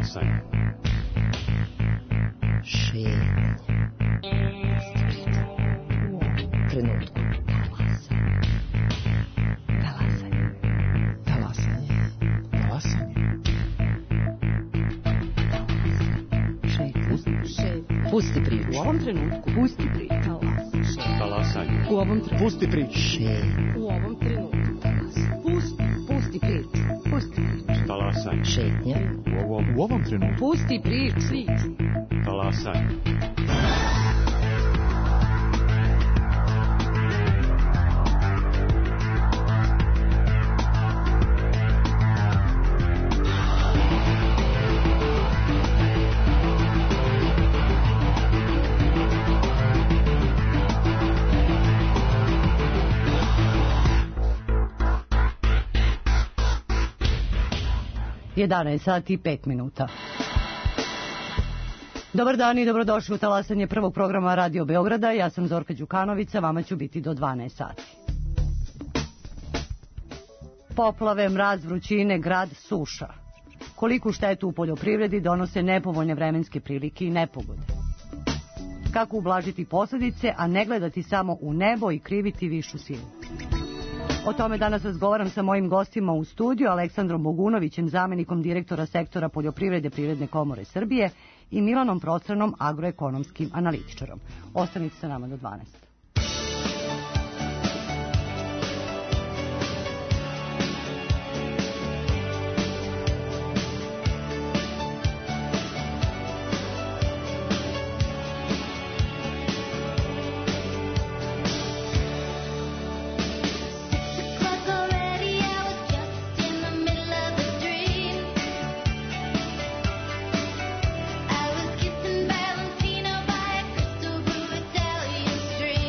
Talasanje. Šetnja. Trenutku. Pusti priču. U ovom trenutku. Pusti priču. Talasanje. U ovom trenutku. Pusti priču. U ovom trenutku. Pusti priču. Pusti priču. Talasanje. Šetnja. U ovom trenutku. Pusti priču. Talasanje. Jedanaest sati i 5 minuta. Dobar dan i dobrodošli u talasanje prvog programa Radio Beograda. Ja sam Zorka Đukanovića, vama ću biti do 12 sati. Poplave, mraz, vrućine, grad, suša. Koliku štetu u poljoprivredi donose nepovoljne vremenske prilike i nepogode. Kako ublažiti posljedice, a ne gledati samo u nebo i kriviti višu silu. O tome danas razgovaram sa mojim gostima u studiju, Aleksandrom Bogunovićem, zamenikom direktora sektora poljoprivrede Privredne komore Srbije i Milanom Prostranom, agroekonomskim analitičarom. Ostanite sa nama do 12. Italian street.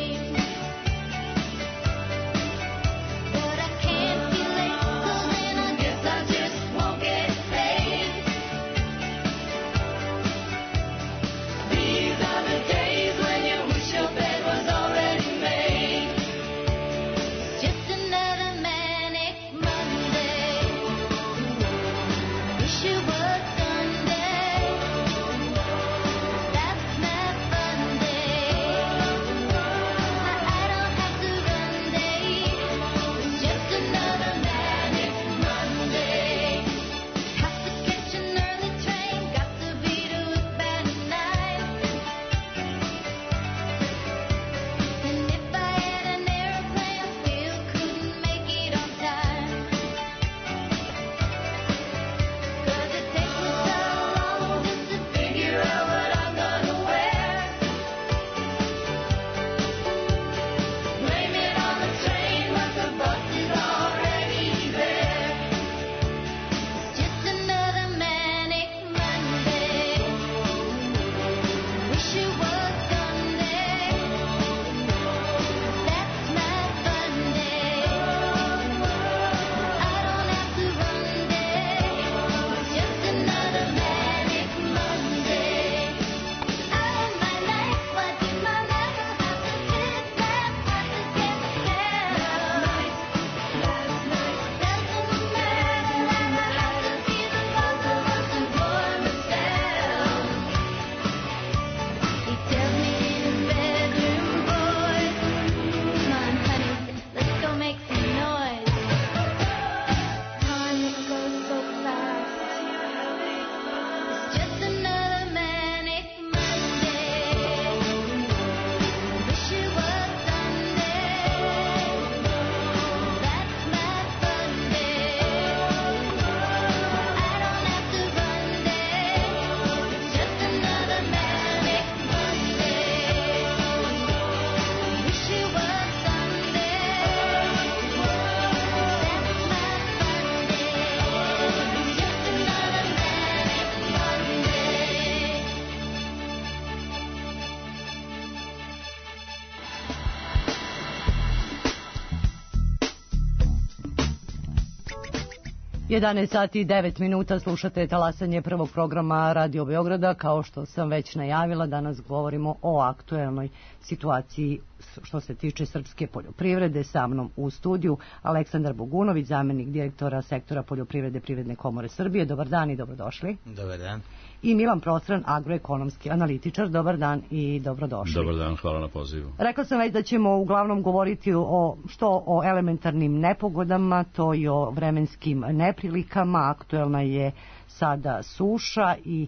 11 sati i 9 minuta slušate talasanje prvog programa Radio Beograda. Kao što sam već najavila, danas govorimo o aktuelnoj situaciji što se tiče srpske poljoprivrede. Sa mnom u studiju Aleksandar Bogunović, zamenik direktora sektora poljoprivrede Privredne komore Srbije. Dobar dan i dobrodošli. Dobar dan. I Milan Prostran, agroekonomski analitičar. Dobar dan i dobrodošli. Dobar dan, hvala na pozivu. Rekla sam već da ćemo uglavnom govoriti o elementarnim nepogodama, to i o vremenskim neprilikama. Aktuelna je sada suša i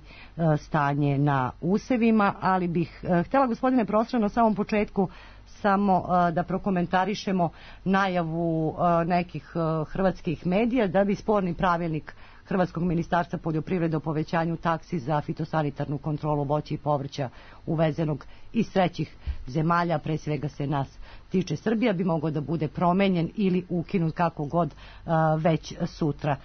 stanje na usevima, ali bih htjela, gospodine Prostran, na samom početku samo da prokomentarišemo najavu nekih hrvatskih medija da bi sporni pravilnik Hrvatskog ministarstva poljoprivrede o povećanju taksi za fitosanitarnu kontrolu voća i povrća uvezenog iz trećih zemalja, pre svega se nas tiče Srbija, bi mogao da bude promenjen ili ukinut kako god već sutra.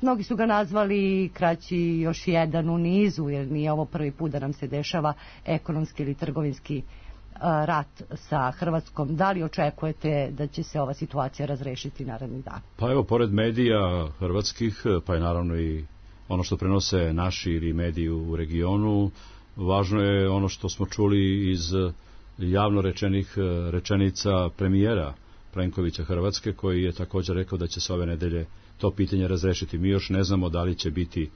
Mnogi su ga nazvali kraći još jedan u nizu, jer nije ovo prvi put da nam se dešava ekonomski ili trgovinski rat sa Hrvatskom. Da li očekujete da će se ova situacija razrešiti narednih dana? Pa evo, pored medija hrvatskih, pa je naravno i ono što prenose naši ili mediji u regionu, važno je ono što smo čuli iz javno rečenih rečenica premijera Plenkovića Hrvatske, koji je također rekao da će se ove nedelje to pitanje razrešiti. Mi još ne znamo da li će biti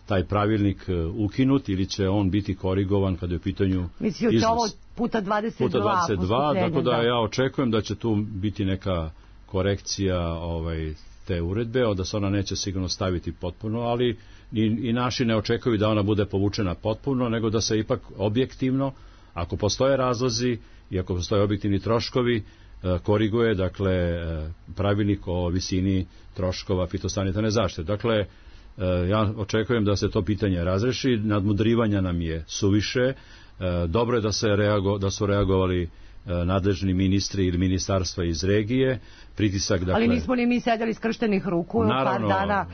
taj pravilnik ukinut ili će on biti korigovan kada je u pitanju iznos. Ovo puta 22, tako da ja očekujem da će tu biti neka korekcija te uredbe, da se ona neće sigurno staviti potpuno, ali i naši ne očekuju da ona bude povučena potpuno, nego da se ipak objektivno, ako postoje razlozi i ako postoje objektivni troškovi, koriguje, dakle, pravilnik o visini troškova fitosanitarne zaštite. Dakle, ja očekujem da se to pitanje razreši, nadmudrivanja nam je suviše, dobro je da su reagovali nadležni ministri ili ministarstva iz regije, pritisak, dakle... Ali nismo li mi sedeli skrštenih ruku, naravno, par dana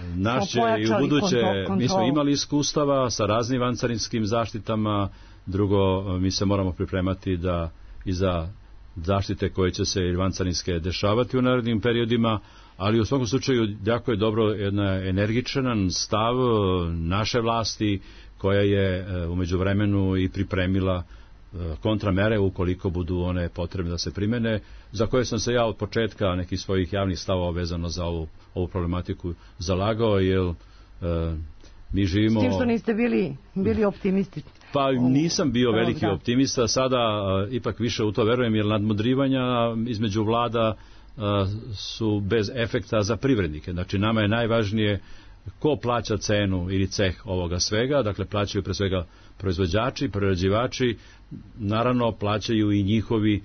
smo pojačali kontrolu. Mi smo imali iskustava sa raznim vancarinskim zaštitama, drugo, mi se moramo pripremati da i za zaštite koje će se vancarinske dešavati u narednim periodima, ali u svakom slučaju jako je dobro jedan energičan stav naše vlasti koja je u međuvremenu i pripremila kontramere ukoliko budu one potrebne da se primene, za koje sam se ja od početka nekih svojih javnih stavova vezano za ovu problematiku zalagao, jer mi živimo... S tim što niste bili optimisti? Pa nisam bio veliki optimista, sada ipak više u to verujem, jer nadmudrivanja između vlada su bez efekta za privrednike. Znači, nama je najvažnije ko plaća cenu ili ceh ovoga svega, dakle plaćaju pre svega proizvođači, prerađivači, naravno plaćaju i njihovi,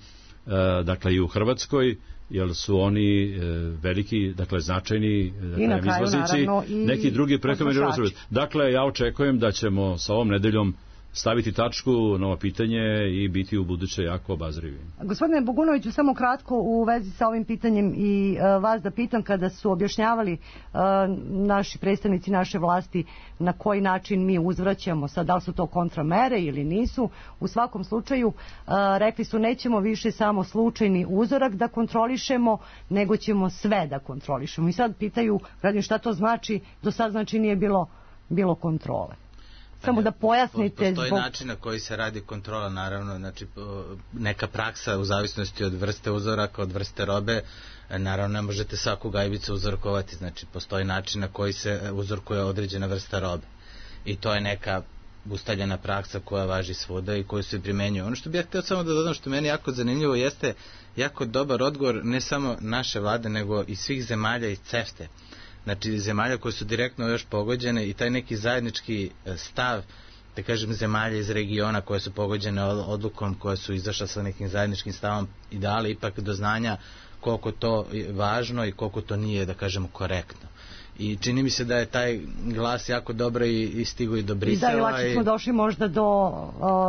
dakle i u Hrvatskoj, jer su oni veliki, dakle značajni izvoznici, neki drugi prehrambeni proizvodi. Dakle, ja očekujem da ćemo sa ovom nedeljom staviti tačku na ovo pitanje i biti u buduće jako obazrivi. Gospodine Bogunoviću, samo kratko u vezi sa ovim pitanjem i vas da pitam, kada su objašnjavali naši predstavnici naše vlasti na koji način mi uzvraćamo, sad da li su to kontramere ili nisu, u svakom slučaju rekli su nećemo više samo slučajni uzorak da kontrolišemo, nego ćemo sve da kontrolišemo. I sad pitaju građani šta to znači, do sad znači nije bilo kontrole. Samo da pojasnite. Postoji način na koji se radi kontrola, naravno, znači neka praksa u zavisnosti od vrste uzoraka, od vrste robe, naravno ne možete svaku gajbicu uzorkovati, znači postoji način na koji se uzorkuje određena vrsta robe i to je neka ustaljena praksa koja važi svuda i koju se primenjuje. Ono što bih ja htio samo da dodam, što meni jako zanimljivo, jeste jako dobar odgovor ne samo naše vlade, nego i svih zemalja iz CEFTA-e. Znači zemalja koje su direktno još pogođene i taj neki zajednički stav, da kažem, zemalja iz regiona koje su pogođene odlukom, koje su izašle sa nekim zajedničkim stavom i dali ipak do znanja koliko to je važno i koliko to nije, da kažemo, korektno. I čini mi se da je taj glas jako dobro i stigo i do Brisela. I da, i lakše smo došli možda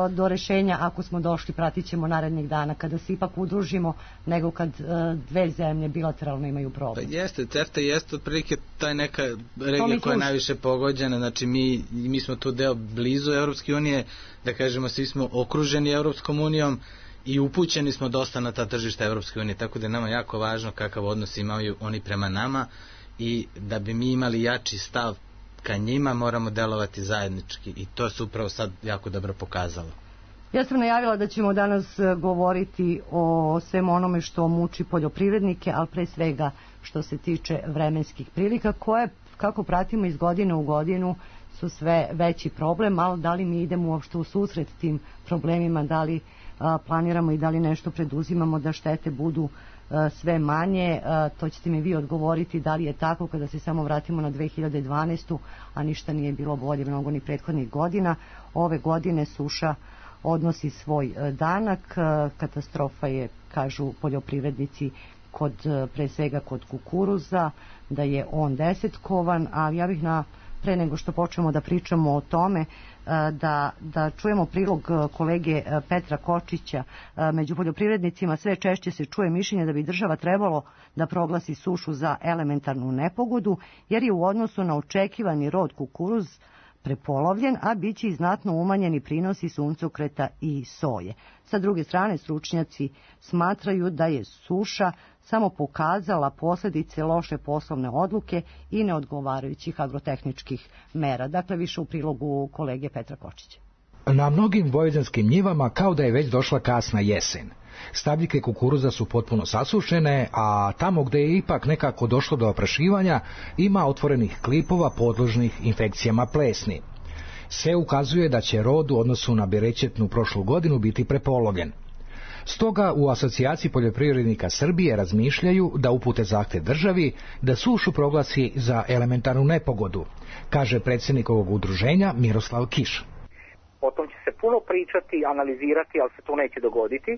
do rešenja, ako smo došli, pratit ćemo narednih dana, kada se ipak udružimo, nego kad dve zemlje bilateralno imaju problem. Pa jeste, CEFTA jeste otprilike taj neka regija koja je najviše pogođena, znači mi smo tu deo blizu Evropske unije, da kažemo, svi smo okruženi Evropskom unijom i upućeni smo dosta na ta tržišta Evropske unije, tako da je nama jako važno kakav odnos imaju oni prema nama i da bi mi imali jači stav ka njima moramo delovati zajednički i to se upravo sad jako dobro pokazalo. Ja sam najavila da ćemo danas govoriti o svem onome što muči poljoprivrednike, ali pre svega što se tiče vremenskih prilika koje, kako pratimo iz godine u godinu, su sve veći problem, ali da li mi idemo uopšte u susret tim problemima, da li planiramo i da li nešto preduzimamo da štete budu sve manje, to ćete mi vi odgovoriti da li je tako kada se samo vratimo na 2012. a ništa nije bilo bolje mnogo ni prethodnih godina. Ove godine suša odnosi svoj danak, katastrofa je, kažu poljoprivrednici, pre svega kod kukuruza, da je on desetkovan, ali ja bih pre nego što počnemo da pričamo o tome, da čujemo prilog kolege Petra Kočića. Među poljoprivrednicima sve češće se čuje mišljenje da bi država trebalo da proglasi sušu za elementarnu nepogodu, jer je u odnosu na očekivani rod kukuruz prepolovljen, a bit će i znatno umanjeni prinosi suncokreta i soje. Sa druge strane, stručnjaci smatraju da je suša samo pokazala posljedice loše poslovne odluke i neodgovarajućih agrotehničkih mera. Dakle, više u prilogu kolege Petra Kočića. Na mnogim vojvođanskim njivama kao da je već došla kasna jesen. Stabljike kukuruza su potpuno sasušene, a tamo gde je ipak nekako došlo do oprašivanja ima otvorenih klipova podložnih infekcijama plesni. Sve ukazuje da će rod u odnosu na berećetnu prošlu godinu biti prepolovljen. Stoga u Asocijaciji poljoprivrednika Srbije razmišljaju da upute zahtev državi da sušu proglasi za elementarnu nepogodu, kaže predsjednik ovog udruženja Miroslav Kiš. O tom će se puno pričati, analizirati, ali se to neće dogoditi,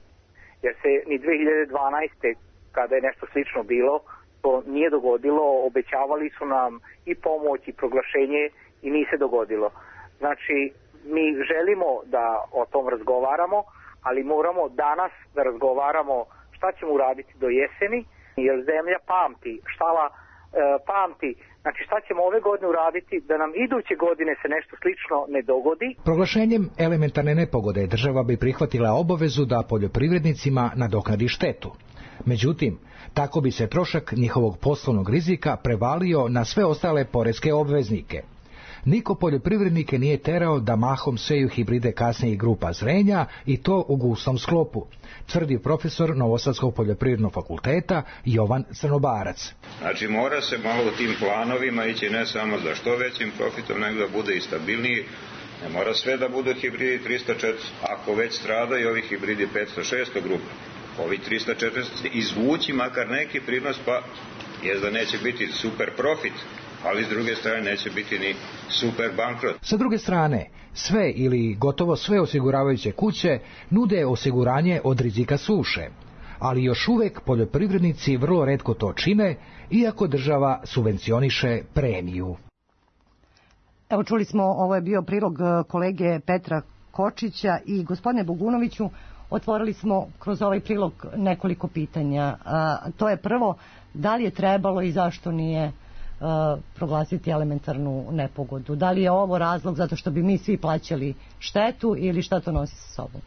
jer se ni 2012. kada je nešto slično bilo, to nije dogodilo, obećavali su nam i pomoć i proglašenje i nije se dogodilo. Znači, mi želimo da o tom razgovaramo, ali moramo danas da razgovaramo šta ćemo uraditi do jeseni, jer zemlja pamti, štala pamti. Znači, šta ćemo ove godine uraditi da nam iduće godine se nešto slično ne dogodi. Proglašenjem elementarne nepogode država bi prihvatila obavezu da poljoprivrednicima nadoknadi štetu. Međutim, tako bi se trošak njihovog poslovnog rizika prevalio na sve ostale poreske obveznike. Niko poljoprivrednike nije terao da mahom seju hibride kasnijih grupa zrenja i to u gustom sklopu, tvrdi profesor Novosadskog poljoprivrednog fakulteta Jovan Crnobarac. Znači mora se malo u tim planovima ići ne samo za što većim profitom, nego da bude i stabilniji. Ne mora sve da budu hibridi 304, ako već stradaju ovi hibridi 500-600 grupa, ovi 340 izvući makar neki prinos, pa je da neće biti super profit, ali s druge strane neće biti ni super bankrot. Sa druge strane, sve ili gotovo sve osiguravajuće kuće nude osiguranje od rizika suše, ali još uvek poljoprivrednici vrlo retko to čine, iako država subvencioniše premiju. Evo, čuli smo, ovo je bio prilog kolege Petra Kočića i gospodine Bogunoviću, otvorili smo kroz ovaj prilog nekoliko pitanja. To je prvo, da li je trebalo i zašto nije proglasiti elementarnu nepogodu? Da li je ovo razlog zato što bi mi svi plaćali štetu ili šta to nosi sa sobom?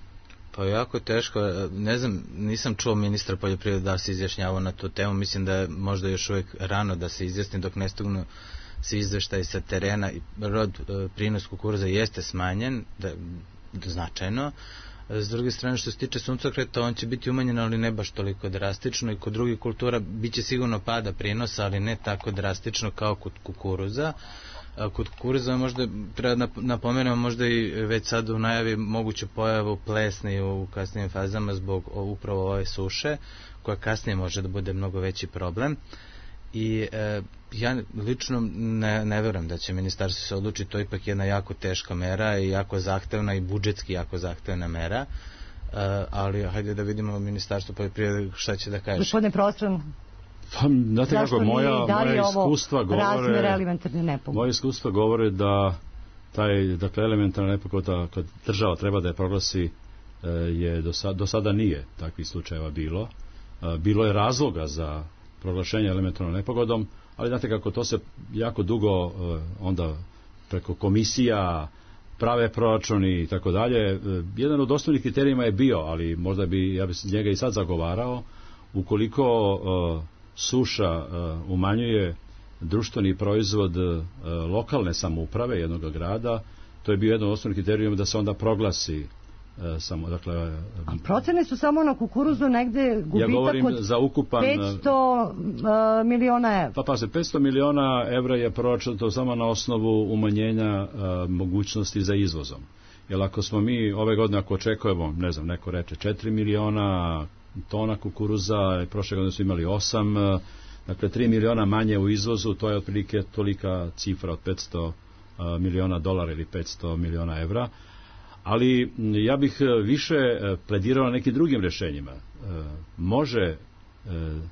Pa jako teško, ne znam, nisam čuo ministra poljoprivrede da se izjašnjavao na tu temu, mislim da je možda još uvijek rano da se izjasni dok ne stignu svi izveštaji sa terena. Prinos kukuruza jeste smanjen, značajno. S druge strane, što se tiče suncokreta, on će biti umanjen, ali ne baš toliko drastično, i kod drugih kultura biće sigurno pada prinosa, ali ne tako drastično kao kod kukuruza. Kod kukuruza možda treba napomenemo možda i već sad u najavi moguću pojavu plesni u kasnijim fazama zbog upravo ove suše, koja kasnije može da bude mnogo veći problem. I ja lično ne verujem da će ministarstvo se odlučiti, to je ipak jedna jako teška mera i jako zahtevna i budžetski jako zahtevna mera, ali hajde da vidimo ministarstvo poljoprivrede šta će da kaže. Gospodine Prostran, pa, znate kako, moja iskustva govore da dakle, elementarna nepogoda kad država treba da je proglasi je do sada nije takvih slučajeva bilo. Bilo je razloga za proglašenje elementarnom nepogodom, ali znate kako to se jako dugo onda preko komisija prave proračuni i tako dalje. Jedan od osnovnih kriterijima je bio, ali možda ja bi njega i sad zagovarao, ukoliko suša umanjuje društveni proizvod lokalne samouprave jednog grada, to je bio jedan od osnovnih kriterijuma da se onda proglasi samo, dakle... A procene su samo na kukuruzu negde gubitak ja govorim od za ukupan, 500 miliona evra. Pa se 500 miliona evra je proračunato samo na osnovu umanjenja mogućnosti za izvozom. Jer ako smo mi ove godine, ako očekujemo, ne znam, neko reče 4 miliona tona kukuruza, prošle godine su imali 8, dakle 3 miliona manje u izvozu, to je otprilike tolika cifra od 500 miliona dolara ili 500 miliona evra. Ali ja bih više pledirao na nekim drugim rješenjima. Može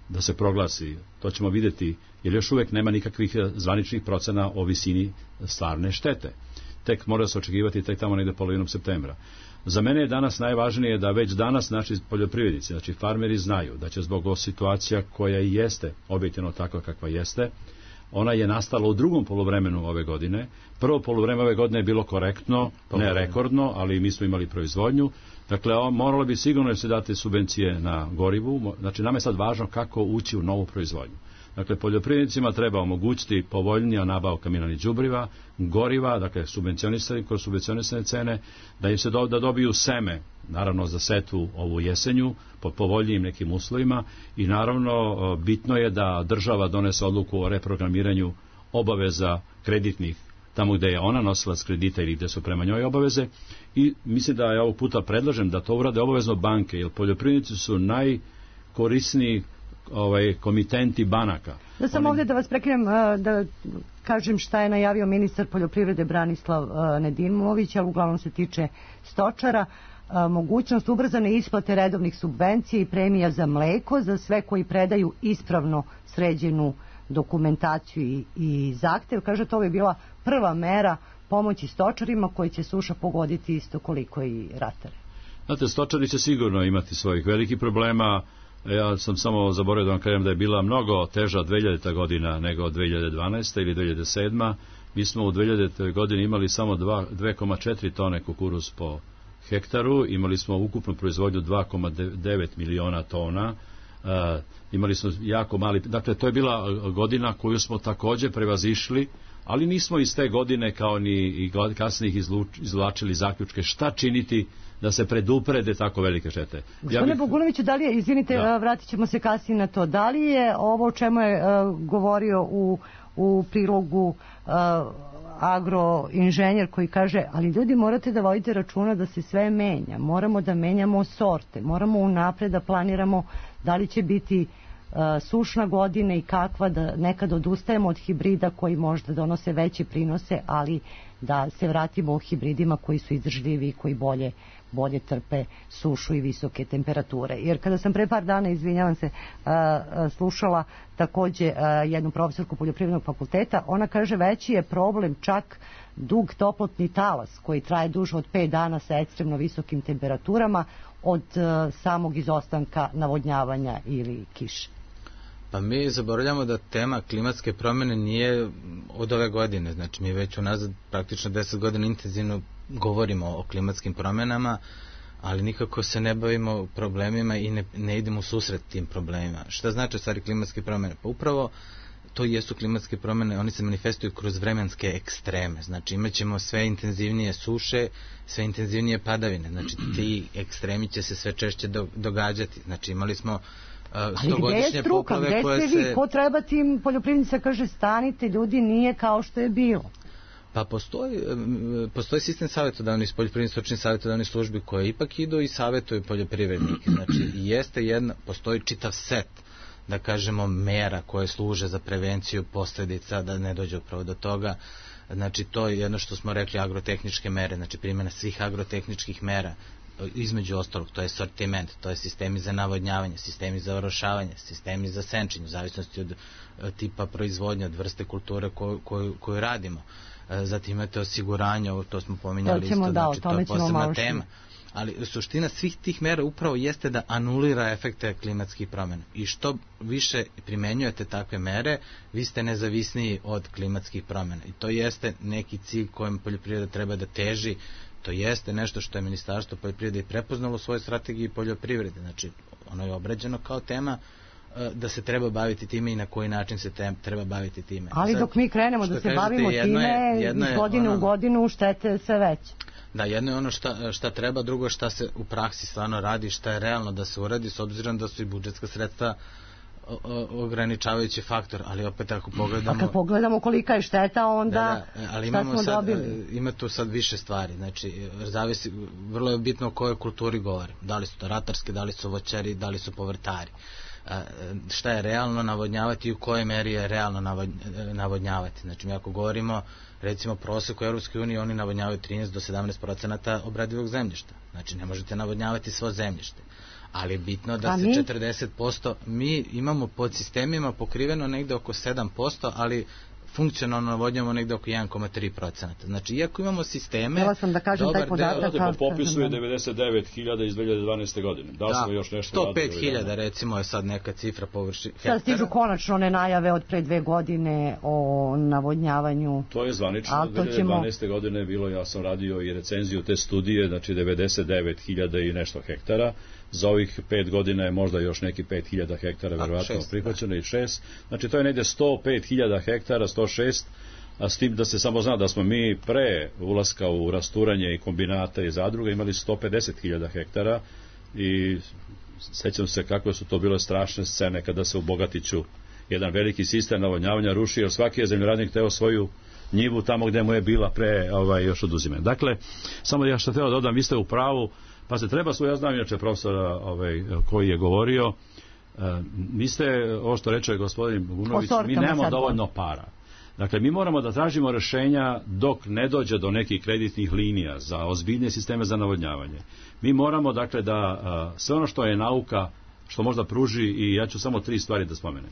da se proglasi, to ćemo vidjeti, jer još uvijek nema nikakvih zvaničnih procena o visini stvarne štete. Tek mora se očekivati tek tamo negde polovinom septembra. Za mene je danas najvažnije da već danas naši poljoprivrednici, znači farmeri, znaju da će zbog situacija koja jeste objektivno takva kakva jeste, ona je nastala u drugom poluvremenu ove godine. Prvo poluvreme ove godine je bilo korektno, ne rekordno, ali mi smo imali proizvodnju. Dakle, moralo bi sigurno se dati subvencije na gorivu. Znači, nam je sad važno kako ući u novu proizvodnju. Dakle, poljoprivrednicima treba omogućiti povoljnija nabavka mineralnih đubriva, goriva, dakle, kroz subvencionisane cene, da im se da dobiju seme, naravno za setvu ovu jesenju, pod povoljnijim nekim uslovima i naravno bitno je da država donese odluku o reprogramiranju obaveza kreditnih tamo gde je ona nosilac kredita ili gde su prema njoj obaveze i mislim da ja ovog puta predlažem da to urade obavezno banke, jer poljoprivrednici su najkorisniji komitenti banaka. Da sam ovdje da vas prekinem, da kažem šta je najavio ministar poljoprivrede Branislav Nedimović, ali uglavnom se tiče stočara. Mogućnost ubrzane isplate redovnih subvencija i premija za mleko za sve koji predaju ispravno sređenu dokumentaciju i zahtev. Kaže, to bi bila prva mera pomoći stočarima koji će suša pogoditi isto koliko i ratare. Znate, stočari će sigurno imati svojih velikih problema. Ja sam samo zaboravio da vam kažem da je bila mnogo teža 2000. godina nego 2012. ili 2007. Mi smo u 2000. godini imali samo 2,4 tone kukuruz po hektaru, imali smo ukupnu proizvodnju 2,9 miliona tona, imali smo jako mali, dakle to je bila godina koju smo također prevazišli, ali nismo iz te godine kao ni kasnije izvlačili zaključke šta činiti da se preduprede tako velike štete. Gospodine Bogunoviću, da li je, izvinite, vratit ćemo se kasnije na to, da li je ovo o čemu je govorio u prilogu agroinženjer koji kaže, ali ljudi morate da vodite računa da se sve menja, moramo da menjamo sorte, moramo unapred da planiramo da li će biti sušna godina i kakva, da nekad odustajemo od hibrida koji možda donose veće prinose, ali da se vratimo u hibridima koji su izdržljivi i koji bolje trpe sušu i visoke temperature. Jer kada sam pre par dana, izvinjavam se, slušala takođe jednu profesorku poljoprivrednog fakulteta, ona kaže veći je problem čak dug toplotni talas koji traje duže od 5 dana sa ekstremno visokim temperaturama od samog izostanka navodnjavanja ili kiše. Pa mi zaboravljamo da tema klimatske promjene nije od ove godine, znači mi već unazad praktično 10 godina intenzivno govorimo o klimatskim promjenama, ali nikako se ne bavimo problemima i ne idemo u susret tim problemima. Šta znači stvari klimatske promjene? Pa upravo to jesu klimatske promjene, oni se manifestuju kroz vremenske ekstreme, znači imat ćemo sve intenzivnije suše, sve intenzivnije padavine, znači ti ekstremi će se sve češće događati, znači imali smo ali gdje je struka, gdje ste vi, ko treba tim poljoprivrednica kaže stanite ljudi, nije kao što je bilo. Pa postoji sistem savjetodavnih, poljoprivrednih stručnih savjetodavnih službi koje ipak idu i savjetuju poljoprivrednike, znači postoji čitav set da kažemo mera koje služe za prevenciju posljedica da ne dođe upravo do toga. Znači to je jedno što smo rekli agrotehničke mere, znači primjena svih agrotehničkih mera, između ostalog to je sortiment, to je sistemi za navodnjavanje, sistemi za orošavanje, sistemi za senčenje, u zavisnosti od tipa proizvodnje, od vrste kulture koju radimo. Zatim imate osiguranje, to smo pominjali isto, znači to je posebna tema. Ali suština svih tih mera upravo jeste da anulira efekte klimatskih promjena. I što više primenjujete takve mere, vi ste nezavisniji od klimatskih promjena. I to jeste neki cilj kojem poljoprivreda treba da teži. To jeste nešto što je Ministarstvo poljoprivrede i prepoznalo u svojoj strategiji poljoprivrede. Znači, ono je obrađeno kao tema da se treba baviti time i na koji način se treba baviti time. Ali dok mi krenemo da se bavimo time, iz godine u godinu štete sve veće. Da, jedno je ono šta treba, drugo je šta se u praksi stvarno radi, šta je realno da se uradi, s obzirom da su i budžetska sredstva ograničavajući faktor, ali opet ako pogledamo... A kad pogledamo kolika je šteta, onda ali šta smo dobili? Ima tu sad više stvari, znači zavisi, vrlo je bitno o kojoj kulturi govorim, da li su to ratarske, da li su voćari, da li su povrtari. Šta je realno navodnjavati i u kojoj meri je realno navodnjavati. Znači mi ako govorimo recimo prosek u Europskoj uniji, oni navodnjavaju 13 do 17% obradivog zemljišta. Znači ne možete navodnjavati svo zemljište. Ali je bitno da se 40%, mi imamo pod sistemima pokriveno negde oko 7%, ali funkcionalno navodnjavamo negde oko 1,3%. Znači, iako imamo sisteme... Htjela sam da kažem taj podatak... Po popisu je 99.000 iz 2012. godine. Da li smo još nešto... 105.000 recimo je sad neka cifra površine. Sad stižu konačno one najave od pre 2 godine o navodnjavanju. To je zvanično. 2012. godine bilo, ja sam radio i recenziju te studije, znači 99.000 i nešto hektara. Za ovih 5 godina je možda još neki 5.000 hektara verovatno prihvaćeno i 6. Znači to je negde 105.000 hektara, 106, a s tim da se samo zna da smo mi pre ulaska u rasturanje i kombinata i zadruga imali 150.000 hektara i sećam se kako su to bile strašne scene kada se u Bogatiću jedan veliki sistem navodnjavanja ruši, jer svaki je zemljoradnik teo svoju njivu tamo gde mu je bila pre još oduzime. Dakle, samo ja što htio dodam, vi ste u pravu. Pa se treba ja znam inače profesora koji je govorio, mi ste, ovo što reče gospodin Gunović, mi nemamo dovoljno para. Dakle, mi moramo da tražimo rešenja dok ne dođe do nekih kreditnih linija za ozbiljne sisteme za navodnjavanje. Mi moramo, dakle, da sve ono što je nauka, što možda pruži, i ja ću samo 3 stvari da spomenem.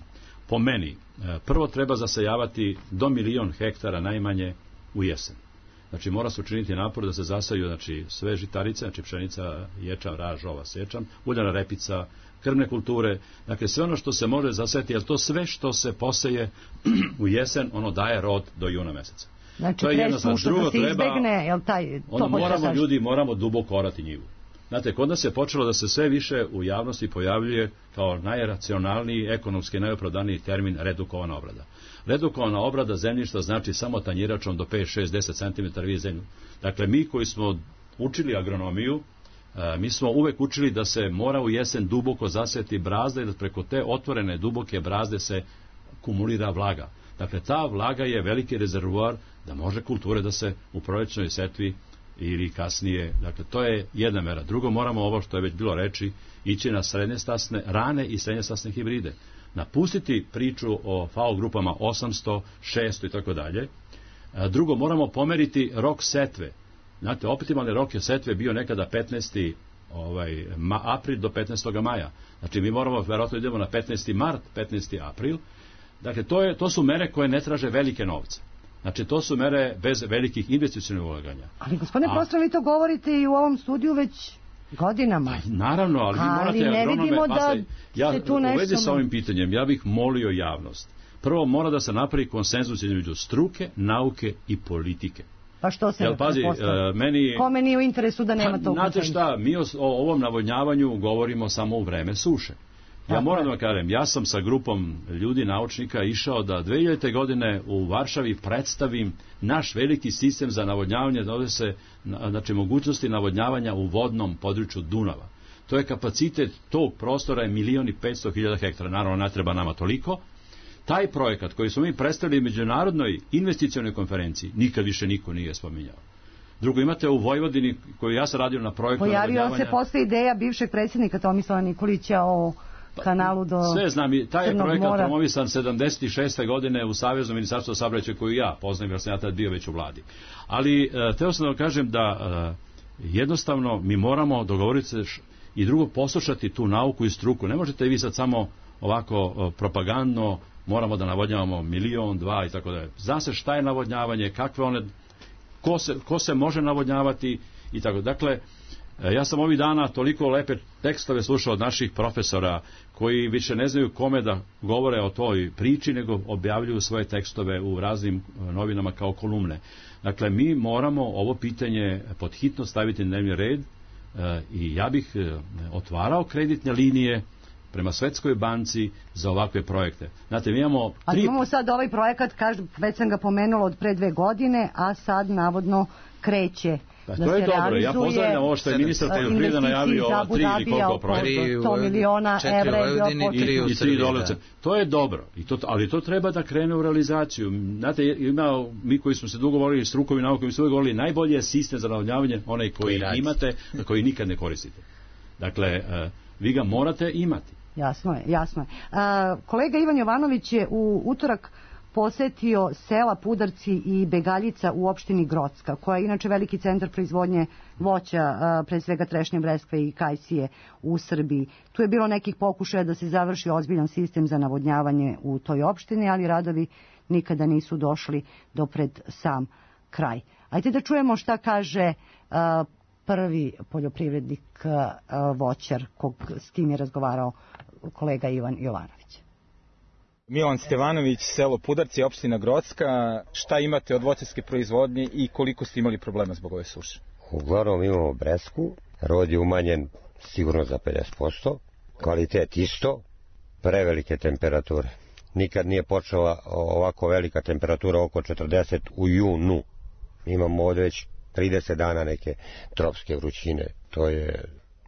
Po meni, prvo treba zasejavati do 1.000.000 hektara najmanje u jesen. Znači mora se učiniti napor da se zasaju, znači sve žitarice, znači pšenica, ječam, raž, ova sečam, uljana repica, krvne kulture, dakle sve ono što se može zaseti, jer to sve što se poseje u jesen, ono daje rod do juna meseca. Znači presuša da se izbegne, jel taj... Moramo duboko orati njivu. Znate, kod nas je počelo da se sve više u javnosti pojavljuje kao najracionalniji, ekonomski najopravdaniji termin redukovana obrada. Redukovana obrada zemljišta znači samo tanjiračom do 5, 6, 10 cm vi zemlju. Dakle, mi koji smo učili agronomiju, mi smo uvek učili da se mora u jesen duboko zaseti brazda i da preko te otvorene duboke brazde se kumulira vlaga. Dakle, ta vlaga je veliki rezervoar da može kulture da se u prolećnoj setvi ili kasnije, dakle, to je jedna mera. Drugo, moramo ovo što je već bilo reči, ići na srednjestasne, rane i srednjestasne hibride. Napustiti priču o FAO grupama 800, 600 i tako dalje. Drugo, moramo pomeriti rok setve. Znate, optimalni rok je setve bio nekada 15. april do 15. maja. Znači, mi moramo, verovatno idemo na 15. mart, 15. april. Dakle, to su mere koje ne traže velike novce. Znači, to su mere bez velikih investicionih ulaganja. Ali, gospodine profesor, vi to govorite i u ovom studiju već godinama. Naravno, ali vi morate ne vidimo da se tu nešto... U vezi sa ovim pitanjem, ja bih molio javnost. Prvo, mora da se napravi konsenzus između struke, nauke i politike. Pa što se kome nije u interesu da nema tog konsenzusa? Znate šta, mi o ovom navodnjavanju govorimo samo u vreme suše. Ja moram da vam kažem, ja sam sa grupom ljudi, naučnika, išao da 2000. godine u Varšavi predstavim naš veliki sistem za navodnjavanje, da ovdje se, znači, mogućnosti navodnjavanja u vodnom području Dunava. To je kapacitet tog prostora je 1.500.000 hektara, naravno ne treba nama toliko. Taj projekat koji smo mi predstavili u međunarodnoj investicionoj konferenciji, nikad više niko nije spominjao. Drugo, imate u Vojvodini, koju ja sam radio na projektu navodnjavanja... Pojavio se posle ideja bivšeg predsjednika Tomislava Nikolića o kanalu do sve znam, taj je projekat mora. Promovisan 76. godine u Saveznom ministarstvu saobraćaja koju ja poznajem, jer sam ja tad bio već u vladi. Ali teo sam da vam kažem da jednostavno mi moramo dogovoriti se i drugo poslušati tu nauku i struku. Ne možete vi sad samo ovako propagandno moramo da navodnjavamo 1.000.000, 2 i tako dalje. Zna se šta je navodnjavanje, kakve one, ko se može navodnjavati i tako. Dakle, ja sam ovih dana toliko lepe tekstove slušao od naših profesora koji više ne znaju kome da govore o toj priči, nego objavljuju svoje tekstove u raznim novinama kao kolumne. Dakle, mi moramo ovo pitanje pod hitno staviti na dnevni red i ja bih otvarao kreditne linije prema Svetskoj banci za ovakve projekte. Znate, mi imamo Ali imamo sad ovaj projekat, već sam ga pomenula od pre 2 godine, a sad navodno kreće. Pa to je dobro, ja pozdravljam ovo što je ministar poljoprivrede najavio 3 ili koliko projekta. 100 miliona evra je bio početno. I 3 dolara. To je dobro, ali to treba da krene u realizaciju. Znate, mi koji smo se dugo govorili, strukovi nauke, mi smo uvijek govorili, najbolji je sistem za navodnjavanje, onaj koji imate, a koji nikad ne koristite. Dakle, vi ga morate imati. Jasno je. Kolega Ivan Jovanović je u utorak posetio sela Pudarci i Begaljica u opštini Grocka, koja je inače veliki centar proizvodnje voća, pre svega trešnje, breskve i kajsije u Srbiji. Tu je bilo nekih pokušaja da se završi ozbiljan sistem za navodnjavanje u toj opštini, ali radovi nikada nisu došli do pred sam kraj. Ajde da čujemo šta kaže prvi poljoprivrednik voćar s kim je razgovarao kolega Ivan Jovanović. Milan Stevanović, selo Pudarci, opština Grocka. Šta imate od voćarske proizvodnje i koliko ste imali problema zbog ove suše? Uglavnom imamo bresku, rod je umanjen sigurno za 50%, kvalitet isto, prevelike temperature. Nikad nije počela ovako velika temperatura, oko 40 u junu. Imamo ovdje već 30 dana neke tropske vrućine, to je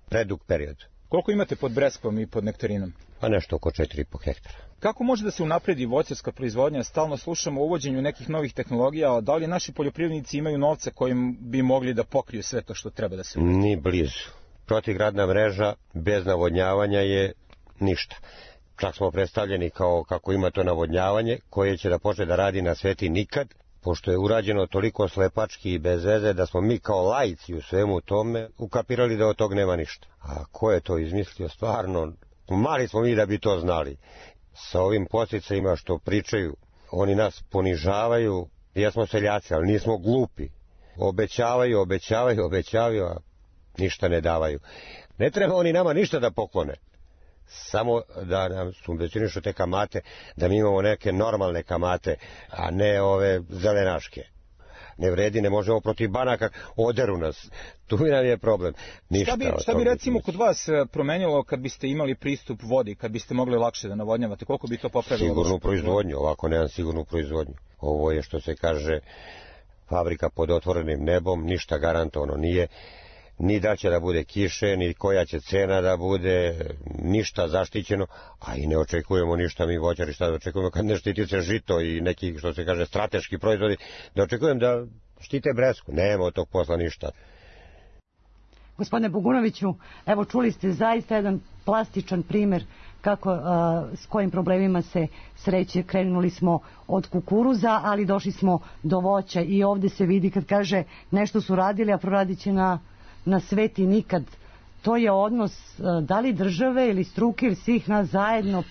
predug period. Koliko imate pod breskvom i pod nektarinom? Pa nešto oko 4,5 hektara. Kako može da se unapredi voćarska proizvodnja? Stalno slušamo o uvođenju nekih novih tehnologija, a da li naši poljoprivrednici imaju novca kojim bi mogli da pokriju sve to što treba da se uvede? Ni blizu. Protivgradna mreža bez navodnjavanja je ništa. Čak smo predstavljeni kao kako ima to navodnjavanje, koje će da počne da radi na sveti nikad, pošto je urađeno toliko slepački i bez veze da smo mi kao laici u svemu tome ukapirali da od tog nema ništa. A ko je to izmislio stvarno? Mali smo mi da bi to znali. Sa ovim podsticajima što pričaju, oni nas ponižavaju, jesmo seljaci, ali nismo glupi. Obećavaju, a ništa ne davaju. Ne treba oni nama ništa da poklone. Samo da nam subvencionišu te kamate, da mi imamo neke normalne kamate, a ne ove zelenaške. Ne vredi, ne možemo protiv banaka, oderu nas. Tu nam je problem. Šta bi recimo kod vas promenilo kad biste imali pristup vodi, kad biste mogli lakše da navodnjavate? Koliko bi to popravilo? Sigurnu proizvodnju, ovako nemam sigurnu proizvodnju. Ovo je, što se kaže, fabrika pod otvorenim nebom, ništa garantovano nije. Ni da će da bude kiše, ni koja će cena da bude, ništa zaštićeno, a i ne očekujemo ništa mi voćari, šta da očekujemo kad ne štiti se žito i neki, što se kaže, strateški proizvodi, da očekujem da štite bresku, nema od tog posla ništa. Gospodine Bogunoviću, evo čuli ste zaista jedan plastičan primer s kojim problemima se sreće. Krenuli smo od kukuruza, ali došli smo do voća i ovdje se vidi kad kaže nešto su radili, a proradit će na sveti nikad. To je odnos da li države ili struke ili svih nas zajedno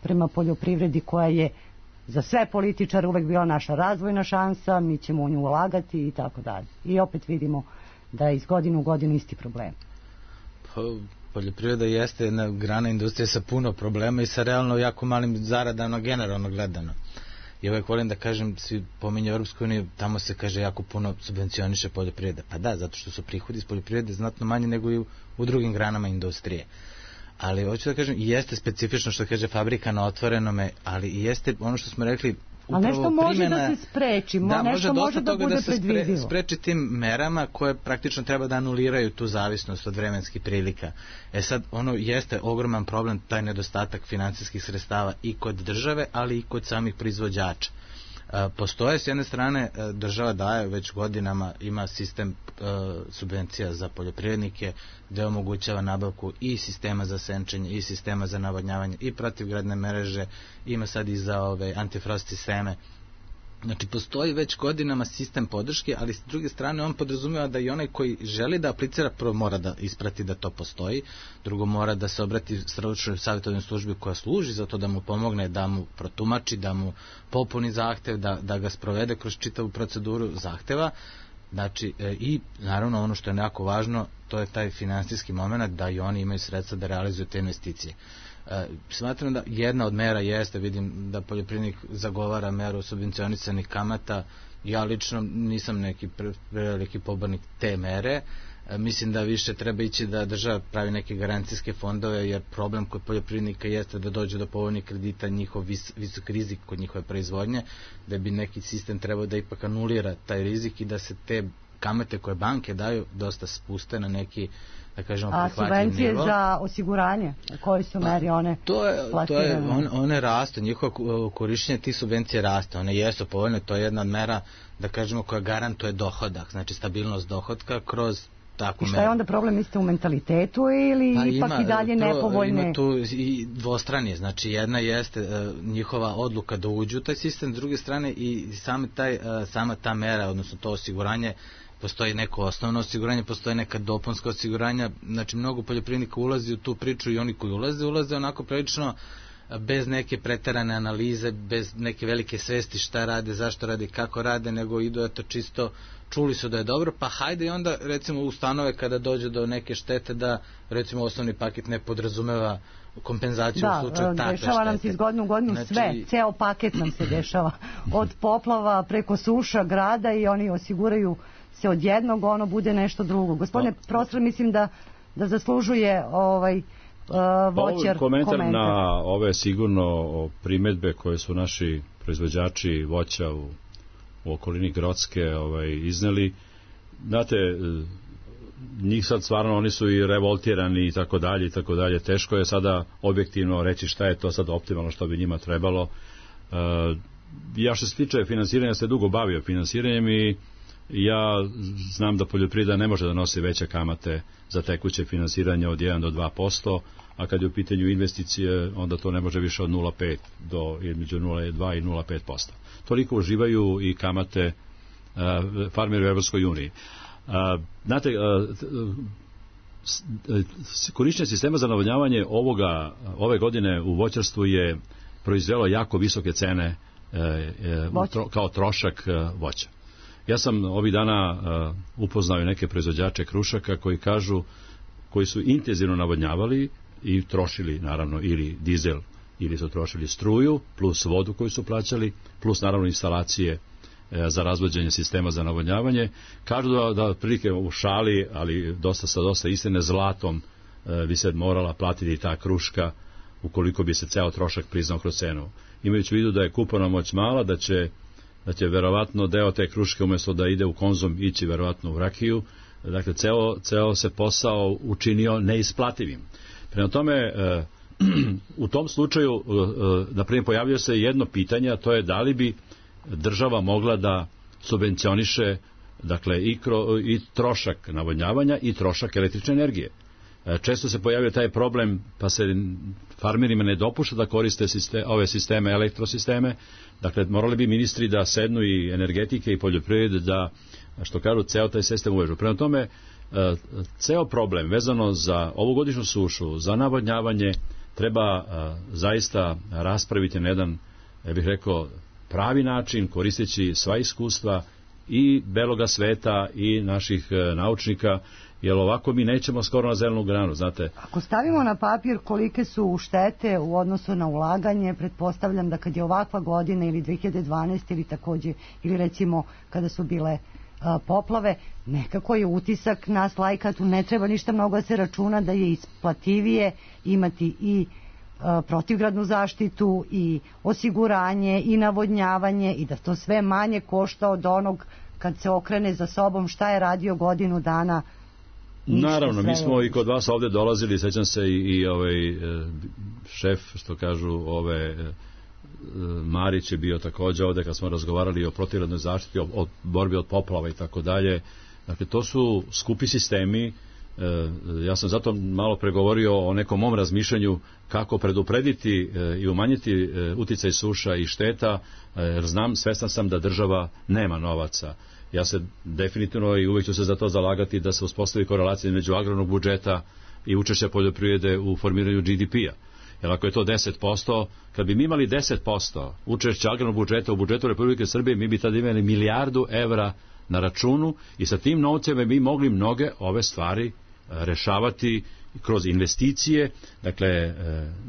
prema poljoprivredi, koja je za sve političare uvek bila naša razvojna šansa, mi ćemo u nju ulagati i tako dalje. I opet vidimo da je iz godine u godinu isti problem. Poljoprivreda jeste jedna grana industrije sa puno problema i sa realno jako malim zaradama generalno gledano. I uvek volim da kažem, svi pominju Europsku uniju, tamo se kaže jako puno subvencioniše poljoprivreda. Pa da, zato što su prihodi iz poljoprivrede znatno manje nego i u drugim granama industrije. Ali hoću da kažem, jeste specifično što kaže fabrika na otvorenome, ali i jeste ono što smo rekli, ali nešto može da se spreči, nešto može da bude predvidivo. Da se spreči tim merama koje praktično treba da anuliraju tu zavisnost od vremenskih prilika. Sad, ono jeste ogroman problem, taj nedostatak finansijskih sredstava i kod države, ali i kod samih proizvođača. Postoje s jedne strane, država daje već godinama, ima sistem subvencija za poljoprivrednike gde omogućava nabavku i sistema za senčenje i sistema za navodnjavanje i protivgradne mreže, ima sad i za antifrost sisteme. Znači, postoji već godinama sistem podrške, ali s druge strane on podrazumijeva da i onaj koji želi da aplicira, prvo mora da isprati da to postoji, drugo mora da se obrati stručnoj savjetodavnoj službi koja služi za to da mu pomogne, da mu protumači, da mu popuni zahtev, da ga sprovede kroz čitavu proceduru zahteva. Znači, i naravno ono što je jako važno, to je taj finansijski moment da i oni imaju sredstva da realizuju te investicije. Smatram da jedna od mera jeste, vidim da poljoprivrednik zagovara meru subvencionisanih kamata. Ja lično nisam neki veliki pobornik te mere, mislim da više treba ići da država pravi neke garancijske fondove, jer problem kod poljoprivrednika jeste da dođe do povoljnih kredita, njihov visok rizik kod njihove proizvodnje, da bi neki sistem trebao da ipak anulira taj rizik i da se te kamate koje banke daju dosta spuste na neki, da kažemo, prihvatljiv nivo. A subvencije za osiguranje, koje su meri one plasirane? One rastu, njihovo korišćenje tih subvencija raste, one jesu povoljne, to je jedna od mera, da kažemo, koja garantuje dohodak, znači stabilnost dohodka kroz takvu meru. I šta je onda problem, mislite, u mentalitetu ili ipak i dalje nepovoljne? Ima tu i dvostranje, znači jedna jeste njihova odluka da uđu u taj sistem, s druge strane i sama ta mera, odnosno to osiguranje, postoji neko osnovno osiguranje, postoji neka dopunska osiguranja, znači mnogo poljoprivrednika ulazi u tu priču i oni koji ulaze onako prilično bez neke preterane analize, bez neke velike svesti šta rade, zašto rade, kako rade, nego idu eto čisto, čuli su da je dobro, pa hajde i onda recimo ustanove kada dođe do neke štete da recimo osnovni paket ne podrazumeva kompenzaciju u slučaju takve štete. Da, dešava nam se iz godine u godinu sve, ceo paket nam se dešava, od poplava preko suša grada i oni osiguraju se od jednog, ono bude nešto drugo. Gospodine profesor, mislim da zaslužuje voćar komentar na ove sigurno primedbe koje su naši proizvođači voća u okolini Grocke izneli. Znate, njih sad stvarno, oni su i revoltirani i tako dalje. Teško je sada objektivno reći šta je to sad optimalno što bi njima trebalo. Ja što se tiče finansiranja, se dugo bavio finansiranjem i ja znam da poljoprivreda ne može da nosi veće kamate za tekuće finansiranje od 1 do 2%, a kad je u pitanju investicije, onda to ne može više od 0,5 do između 0,2 i 0,5%. Toliko uživaju i kamate farmeri u Evropskoj uniji. Znate, korišćenje sistema za navodnjavanje ove godine u voćarstvu je proizvelo jako visoke cene kao trošak voća. Ja sam ovih dana upoznao neke proizvođače krušaka koji su intenzivno navodnjavali i trošili naravno ili dizel ili su trošili struju plus vodu koju su plaćali plus naravno instalacije za razvođenje sistema za navodnjavanje. Kažu da prilike u šali, ali dosta istine, zlatom bi se morala platiti ta kruška ukoliko bi se ceo trošak priznao kroz cenu. Imajući u vidu da je kupovna moć mala, da će verovatno deo te kruške umjesto da ide u konzum ići verovatno u rakiju, dakle ceo se posao učinio neisplativim. Prema tome, u tom slučaju, na primjer, pojavljuje se jedno pitanje, a to je da li bi država mogla da subvencioniše, dakle, i trošak navodnjavanja i trošak električne energije. Često se pojavio taj problem, pa se farmerima ne dopušta da koriste ove sisteme, elektrosisteme. Dakle, morali bi ministri da sednu i energetike i poljoprivrede da, što kažu, ceo taj sistem uvežu. Prema tome, ceo problem vezano za ovogodišnju sušu, za navodnjavanje, treba zaista raspraviti na jedan, ja bih rekao, pravi način, koristeći sva iskustva i beloga sveta i naših naučnika, jer ovako mi nećemo skoro na zelenu granu, znate. Ako stavimo na papir kolike su štete u odnosu na ulaganje, pretpostavljam da kad je ovakva godina ili 2012 ili takođe, ili recimo kada su bile poplave, nekako je utisak nas laika, tu ne treba ništa mnogo da se računa da je isplativije imati i protivgradnu zaštitu i osiguranje i navodnjavanje i da to sve manje košta od onog kad se okrene za sobom šta je radio godinu dana. Naravno, mi smo i kod vas ovde dolazili, sećam se i šef, što kažu, Marić je bio takođe ovde kad smo razgovarali o protivgradnoj zaštiti, o borbi od poplava i tako dalje. Dakle, to su skupi sistemi. Ja sam zato malo pregovorio o nekom mom razmišljanju kako preduprediti i umanjiti uticaj suša i šteta, jer svestan sam da država nema novaca. Ja se definitivno i uvijek ću se za to zalagati da se uspostavi korelacija između agrarnog budžeta i učešća poljoprivrede u formiranju GDP-a. Jer ako je to 10%, kad bi mi imali 10% učešća agrarnog budžeta u budžetu Republike Srbije, mi bi tada imali milijardu evra na računu i sa tim novcem bi mogli mnoge ove stvari rešavati kroz investicije, dakle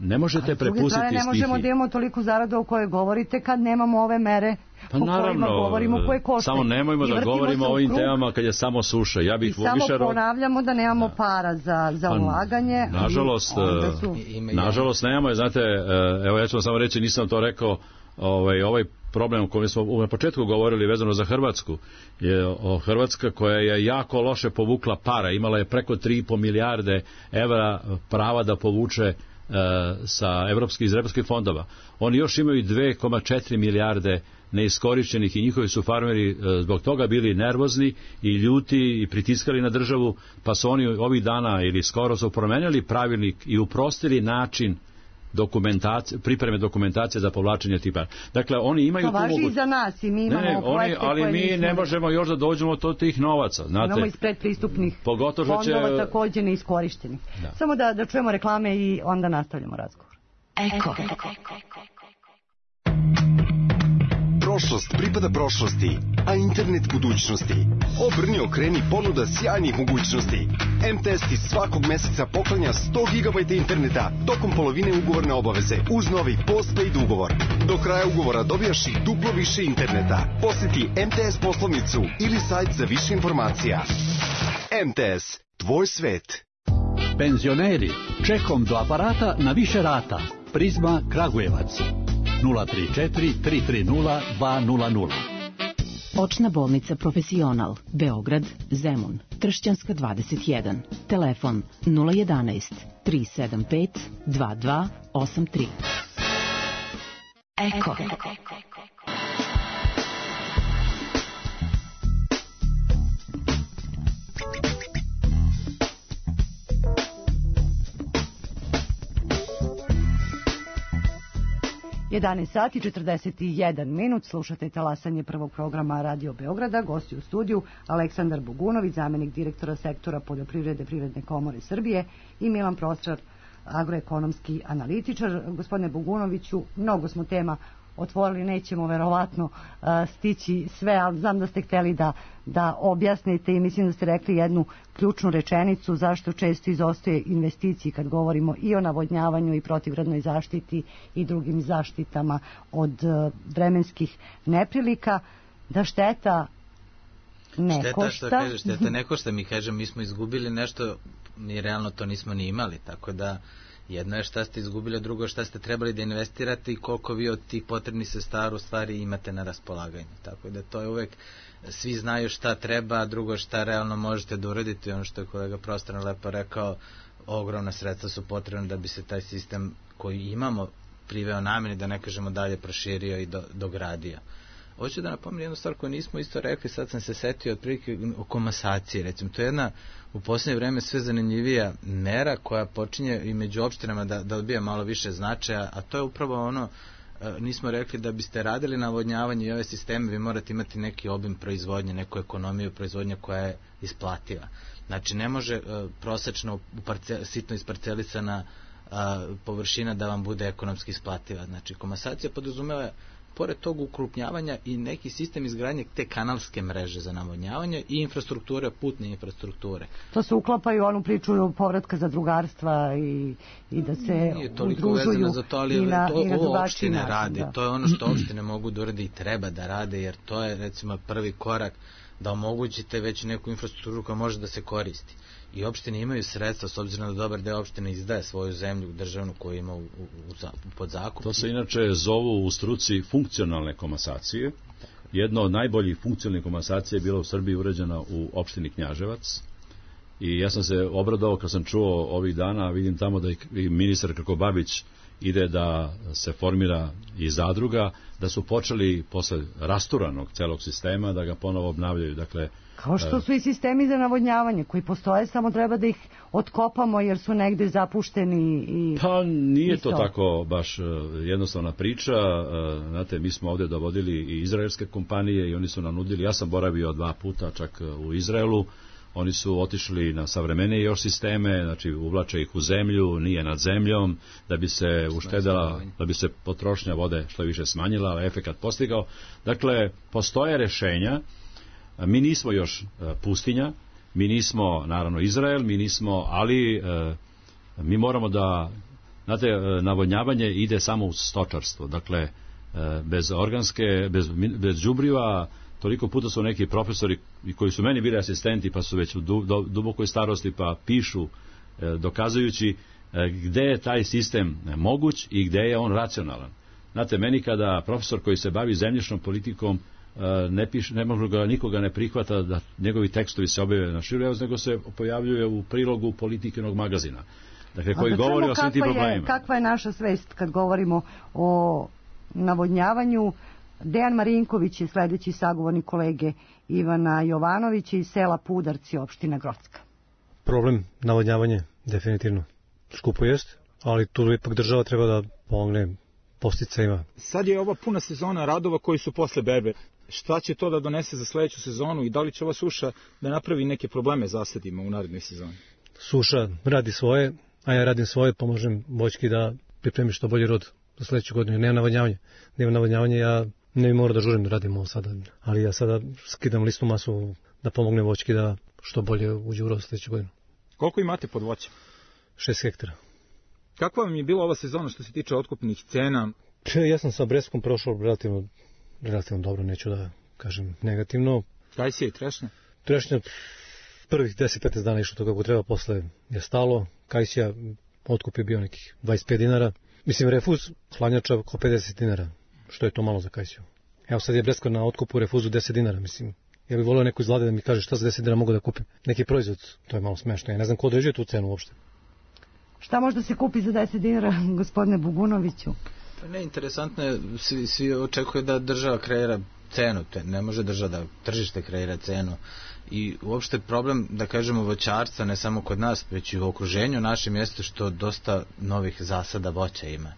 ne možete prepustiti stihiji. Ne možemo da imamo toliko zaradu o kojoj govorite kad nemamo ove mere pa o kojima govorimo, koje koštaju. Samo nemojmo da govorimo o ovim temama kad je samo suša. Ja bih I samo ponavljamo da nemamo para za ulaganje. Nažalost nemamo, znate, evo ja ću vam samo reći, nisam to rekao, ovaj problem o kojem smo na početku govorili vezano za Hrvatsku je Hrvatska koja je jako loše povukla para, imala je preko 3,5 milijarde evra prava da povuče iz evropskih fondova. Oni još imaju 2,4 milijarde neiskorišćenih i njihovi su farmeri zbog toga bili nervozni i ljuti i pritiskali na državu, pa su oni ovih dana ili skoro su promenili pravilnik i uprostili način pripreme dokumentacije za povlačenje tih para. Dakle, oni imaju to važi i za nas i mi imamo projekte ali mi ne možemo još da dođemo do tih novaca. Znate, imamo iz predpristupnih fondova također neiskorišteni. Samo da čujemo reklame i onda nastavljamo razgovor. Eko. Prošlost pripada prošlosti, a internet budućnosti. Obrni, okreni, ponuda sjajnih mogućnosti. MTS ti svakog meseca poklanja 100 GB interneta tokom polovine ugovorne obaveze uz novi postpaid ugovor. Do kraja ugovora dobijaš i duplo više interneta. Posjeti MTS poslovnicu ili sajt za više informacija. MTS, tvoj svet. Penzioneri, čekom do aparata na više rata. Prizma Kragujevac. 034 330 200. Očna bolnica Profesional, Beograd, Zemun, Tršćanska 21. Telefon 011 375 2283. Eko. 11 sati 41 minut, slušate talasanje prvog programa Radio Beograda, gosti u studiju Aleksandar Bogunović, zamjenik direktora sektora poljoprivrede Privredne komore Srbije i Milan Prostrar, agroekonomski analitičar. Gospodine Bogunoviću, mnogo smo tema otvorili, nećemo verovatno stići sve, ali znam da ste hteli da objasnite i mislim da ste rekli jednu ključnu rečenicu zašto često izostaje investiciji kad govorimo i o navodnjavanju i protivgradnoj zaštiti i drugim zaštitama od vremenskih neprilika, da šteta ne košta. Šteta ne košta, mi kažem, mi smo izgubili nešto, mi realno to nismo ni imali, tako da jedno je šta ste izgubili, drugo šta ste trebali da investirate i koliko vi od tih potrebnih sredstava u stvari imate na raspolaganju. Tako da to je uvek, svi znaju šta treba, a drugo šta realno možete da uradite. Ono što je kolega Prostran lepo rekao, ogromna sredstva su potrebna da bi se taj sistem koji imamo priveo nameni, da ne kažemo dalje, proširio i dogradio. Hoću da napomenem jednu stvar koju nismo isto rekli, sad sam se setio otprilike o komasaciji, recimo. To je jedna u posljednje vreme sve zanimljivija mera koja počinje i među opštinama da dobija malo više značaja, a to je upravo ono, nismo rekli da biste radili navodnjavanje i ove sisteme, vi morate imati neki obim proizvodnje, neku ekonomiju proizvodnje koja je isplativa. Znači ne može prosečno sitno isparcelisana površina da vam bude ekonomski isplativa. Znači komasacija podrazumeva pored tog ukrupnjavanja i neki sistem izgradnje te kanalske mreže za navodnjavanje i infrastrukture, putne infrastrukture. To se uklapa i u onu priču povratka zadrugarstva i da se udružuju za to, ali ovo opštine radi. Da. To je ono što opštine mogu da urade i treba da rade, jer to je recimo prvi korak da omogućite već neku infrastrukturu koja može da se koristi. I opštine imaju sredstva, s obzirom da dobar deo opštine izdaje svoju zemlju državnu koju ima pod zakup. To se inače zovu u struci funkcionalne komasacije. Jedno od najboljih funkcionalnih komasacija je bila u Srbiji urađena u opštini Knjaževac. I ja sam se obradovao kad sam čuo ovih dana, vidim tamo da i ministar Krkobabić ide da se formira i zadruga, da su počeli posle rasturanog celog sistema da ga ponovo obnavljaju. Dakle, kao što su i sistemi za navodnjavanje koji postoje, samo treba da ih otkopamo jer su negde zapušteni. Pa nije to tako baš jednostavna priča. Znate, mi smo ovdje dovodili i izraelske kompanije i oni su nam nudili, ja sam boravio 2 puta čak u Izraelu, oni su otišli na savremenije još sisteme, znači uvlače ih u zemlju, nije nad zemljom, da bi se uštedela, da bi se potrošnja vode što više smanjila, ali efekat postigao. Dakle, postoje rešenja. Mi nismo još pustinja, mi nismo naravno Izrael, mi nismo, ali Mi moramo da, znate, navodnjavanje ide samo u stočarstvo, dakle, bez organske, bez đubriva. Toliko puta su neki profesori koji su meni bili asistenti, pa su već u dubokoj starosti, pa pišu, dokazujući gde je taj sistem moguć i gde je on racionalan. Znate, meni kada profesor koji se bavi zemljišnom politikom ne može ga, nikoga ne prihvata da njegovi tekstovi se objave na širu, nego se pojavljuje u prilogu Politikinog magazina. Dakle, koji govori o svim tim problemima. Kakva je naša svest kad govorimo o navodnjavanju? Dejan Marinković je sledeći sagovornik kolege Ivana Jovanovića iz sela Pudarci, opština Grocka. Problem navodnjavanje definitivno skupo jest, ali tu ipak država treba da pomogne podsticajima. Sad je ova puna sezona radova koji su posle berbe. Šta će to da donese za sledeću sezonu i da li će ova suša da napravi neke probleme zasadima u narednoj sezoni? Suša radi svoje, a ja radim svoje, pomožem voćki da pripremi što bolji rod za sledeću godinu. Nema navodnjavanje, ja ne bi morao da žurim da radim ovo sada, ali ja sada skidam listnu masu da pomognem voćki da što bolje uđe u rod sledeću godinu. Koliko imate pod voćem? 6 hektara. Kakva vam je bila ova sezona što se tiče otkupnih cena? Ja sam sa Breskom prošao relativno dobro, neću da kažem negativno. Kajsija i trešnja? Trešnja prvih 10-15 dana išlo to kako treba, posle je stalo. Kajsija otkup je bio nekih 25 dinara. Mislim, refuz hladnjača oko 50 dinara, što je to malo za Kajsiju. Evo sad je Breska na otkupu refuzu 10 dinara, mislim. Ja bih volio neko iz Vlade da mi kaže šta za 10 dinara mogu da kupim. Neki proizvod, to je malo smešno. Ja ne znam ko određuje tu cenu uopšte. Šta možda se kupi za 10 dinara, gospodine Bugunoviću? Ne, interesantno je, svi očekuju da država kreira cenu, ne može država da tržište kreira cenu. I uopšte problem, da kažemo, voćarstva, ne samo kod nas, već i u okruženju našem, jeste što dosta novih zasada voća ima.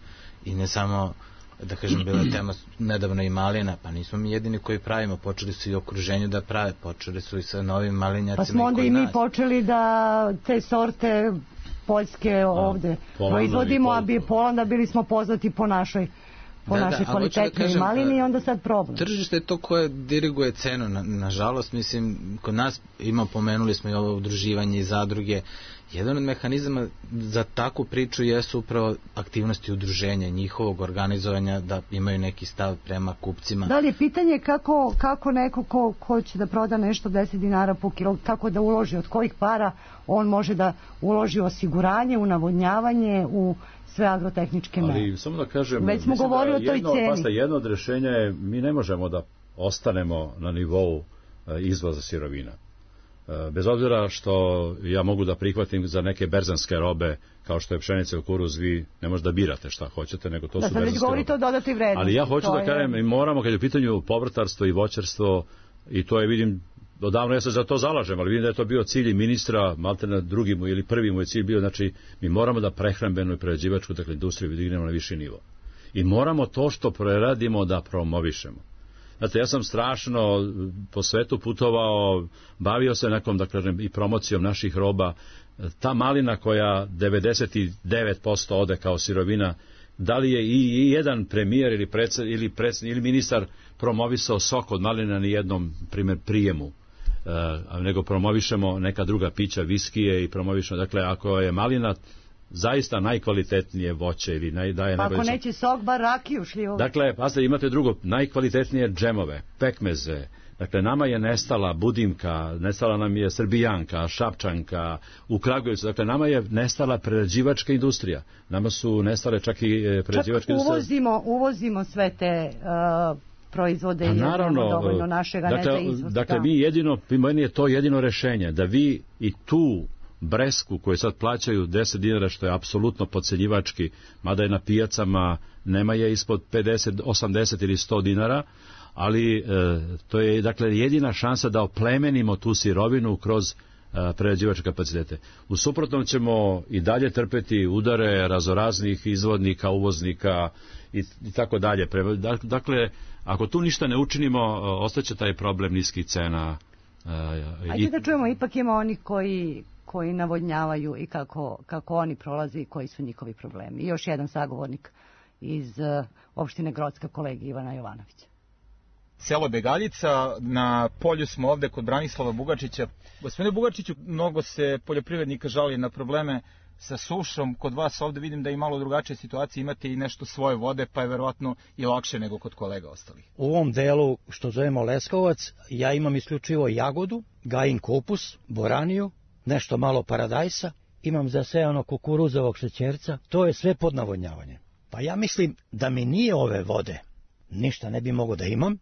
I ne samo, da kažem, bila tema nedavno i malina, pa nismo mi jedini koji pravimo, počeli su i u okruženju da prave, počeli su i sa novim malinjacima. Pa smo onda i mi počeli da te sorte poljske ovde proizvodimo, a Polanda bili smo poznati po našoj kvalitetnoj malini i onda sad problem. Tržište je to koje diriguje cenu, nažalost, mislim, kod nas pomenuli smo i ovo udruživanje i zadruge. Jedan od mehanizama za takvu priču jesu upravo aktivnosti udruženja, njihovog organizovanja, da imaju neki stav prema kupcima. Da li je pitanje kako neko ko će da proda nešto 10 dinara po kilo, kako da uloži, od kojih para on može da uloži u osiguranje, u navodnjavanje, u sve agrotehničke mere. Ali samo da kažem, već smo govorili o toj ceni. Jedno od rešenja je, mi ne možemo da ostanemo na nivou izvoza sirovina. Bez obzira što ja mogu da prihvatim za neke berzanske robe, kao što je pšenica i kukuruz, vi ne možete da birate šta hoćete, nego to su berzanske robe. Da, sad već govorite o dodatoj vrednosti. Ali ja hoću da kažem, mi moramo, kad je u pitanju povrtarstvo i voćarstvo, i to je, vidim, odavno ja se za to zalažem, ali vidim da je to bio cilj i ministra, malte na drugi mu ili prvi mu je cilj bio, znači mi moramo da prehrambenu i prerađivačku, dakle, industriju dignemo na viši nivo. I moramo to što preradimo da promovišemo. Znate, ja sam strašno po svetu putovao, bavio se nekom, da kažem, i promocijom naših roba. Ta malina koja 99% ode kao sirovina, da li je i jedan premijer ili ministar promovisao sok od malina ni jednom prijemu, nego promovišemo neka druga pića, viskije i promovišemo, dakle, ako je malina zaista najkvalitetnije voće ili daje najbolje. Ako neće sok, bar rakiju šljivo. Dakle, pasite, imate drugo, najkvalitetnije džemove, pekmeze. Dakle, nama je nestala Budimka, nestala nam je Srbijanka, Šapčanka, u Kragujevcu. Dakle, nama je nestala prerađivačka industrija. Nama su nestale čak i prerađivačke industrije. Uvozimo sve te proizvode i imamo dovoljno našega ne za izvoz. Dakle, meni je to jedino rešenje, da vi i tu Bresku koje sad plaćaju 10 dinara, što je apsolutno podcenjivački, mada je na pijacama nema je ispod 50, 80 ili 100 dinara, ali to je, dakle, jedina šansa da oplemenimo tu sirovinu kroz prerađivačke kapacitete. U suprotnom ćemo i dalje trpeti udare razoraznih izvodnika, uvoznika i tako dalje. Dakle, ako tu ništa ne učinimo, ostaće taj problem niskih cena. Ajde da čujemo, ipak ima onih koji navodnjavaju i kako oni prolaze i koji su njihovi problemi. I još jedan sagovornik iz opštine Grocka, kolegi Ivana Jovanovića. Selo Begaljica, na polju smo ovde kod Branislava Bugačića. Gospodine Bugačiću, mnogo se poljoprivrednika žali na probleme sa sušom. Kod vas ovde vidim da je malo drugačija situacija, imate i nešto svoje vode, pa je verovatno i lakše nego kod kolega ostalih. U ovom delu što zovemo Leskovac, ja imam isključivo jagodu, gajin kupus, boraniju, nešto malo paradajsa, imam zasejano kukuruzovog šećerca, to je sve pod navodnjavanjem. Pa ja mislim da mi nije ove vode, ništa ne bi mogo da imam.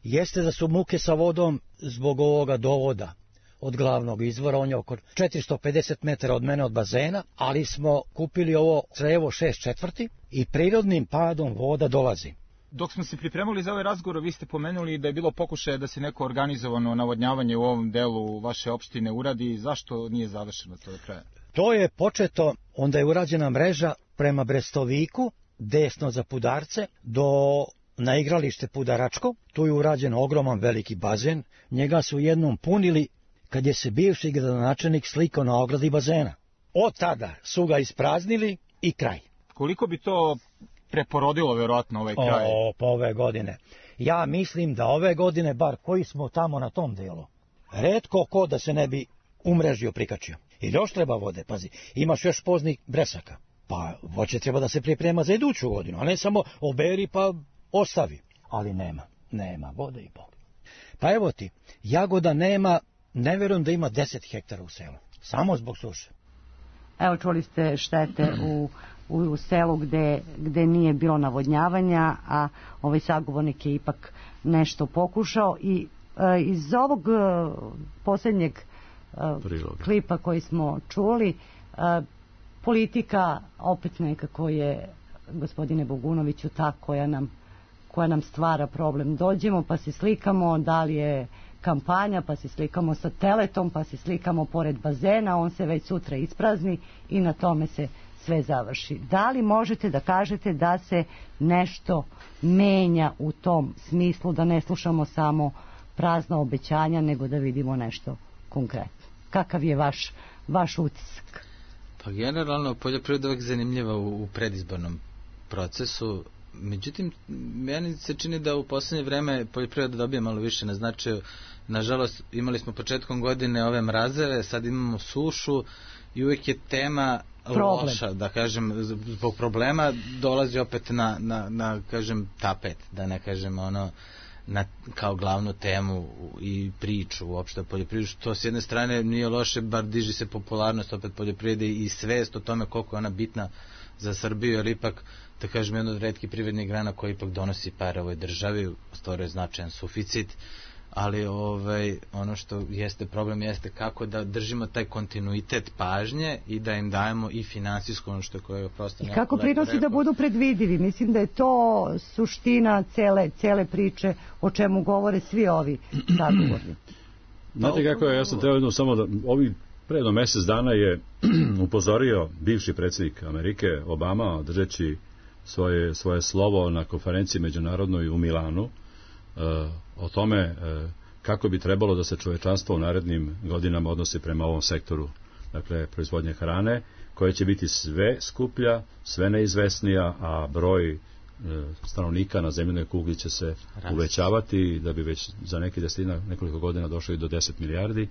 Jeste da su muke sa vodom zbog ovoga dovoda od glavnog izvora, on je oko 450 metara od mene od bazena, ali smo kupili ovo crevo 6/4 i prirodnim padom voda dolazi. Dok smo se pripremali za ovaj razgovor, vi ste pomenuli da je bilo pokušaja da se neko organizovano navodnjavanje u ovom delu vaše opštine uradi. Zašto nije završeno to do kraja? To je početo, onda je urađena mreža prema Brestoviku, desno za Pudarce, na igralište Pudaračko. Tu je urađen ogroman veliki bazen, njega su jednom punili kad je se bivši gradonačelnik slikao na ogradi bazena. Od tada su ga ispraznili i kraj. Koliko bi to preporodilo verovatno ovaj kraj? Po ove godine. Ja mislim da ove godine, bar koji smo tamo na tom delu, retko ko da se ne bi umrežio prikačio. I još treba vode, pazi, imaš još poznih bresaka. Pa voće treba da se priprema za iduću godinu, a ne samo oberi pa ostavi. Ali nema vode i Bog. Pa evo ti, jagoda nema, ne verujem da ima 10 hektara u selu, samo zbog suše. Evo čuli ste štete u selu gde nije bilo navodnjavanja, a ovaj sagovornik je ipak nešto pokušao i iz ovog posljednjeg klipa koji smo čuli, politika opet nekako je, gospodine Bogunoviću, ta koja nam stvara problem. Dođemo pa se slikamo, da li je kampanja, pa se slikamo sa teletom, pa se slikamo pored bazena, on se već sutra isprazni i na tome se sve završi. Da li možete da kažete da se nešto menja u tom smislu, da ne slušamo samo prazna obećanja, nego da vidimo nešto konkretno? Kakav je vaš utisak? Pa generalno poljoprivreda uvek zanimljiva u predizbornom procesu. Međutim, meni se čini da u poslednje vreme poljoprivreda dobija malo više na značaju. Nažalost, imali smo početkom godine ove mrazeve, sad imamo sušu i uvek je tema loša, da kažem, zbog problema dolazi opet na kažem, tapet, da ne kažem kao glavnu temu i priču uopšte o poljoprivredi, što s jedne strane nije loše, bar diži se popularnost opet poljoprivrede i svest o tome koliko je ona bitna za Srbiju, jer ipak, da kažem, jedna od retkih privrednih grana koja ipak donosi pare ovoj državi, stvoruje značajan suficit, ali ono što jeste problem jeste kako da držimo taj kontinuitet pažnje i da im dajemo i finansijsko ono što je koje prosto i kako prinosi da budu predvidivi. Mislim da je to suština cele priče o čemu govore svi ovi sagovornici. Znate kako je, ja sam trebao samo da pre jedno mesec dana je upozorio bivši predsjednik Amerike Obama, držeći svoje slovo na konferenciji međunarodnoj u Milanu, o tome kako bi trebalo da se čovečanstvo u narednim godinama odnosi prema ovom sektoru, dakle proizvodnje hrane, koja će biti sve skuplja, sve neizvesnija, a broj stanovnika na zemljinoj kugli će se uvećavati, da bi već za nekoliko godina došli do 10 milijardi.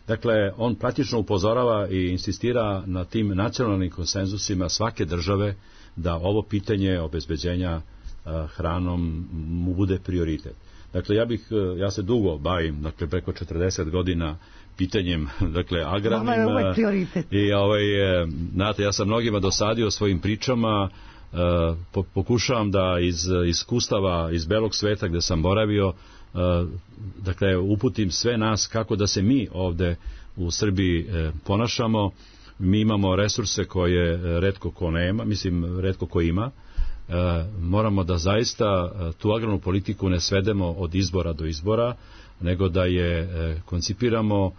Dakle, on praktično upozorava i insistira na tim nacionalnim konsenzusima svake države da ovo pitanje obezbeđenja hranom mu bude prioritet. Dakle, ja se dugo bavim, dakle, preko 40 godina pitanjem, dakle, agrarnim. I znate, ja sam mnogima dosadio svojim pričama, pokušavam da iz iskustava iz belog sveta gde sam boravio, dakle, uputim sve nas kako da se mi ovde u Srbiji ponašamo. Mi imamo resurse koje retko ko nema, mislim, retko ko ima. Moramo da zaista tu agrarnu politiku ne svedemo od izbora do izbora, nego da je koncipiramo,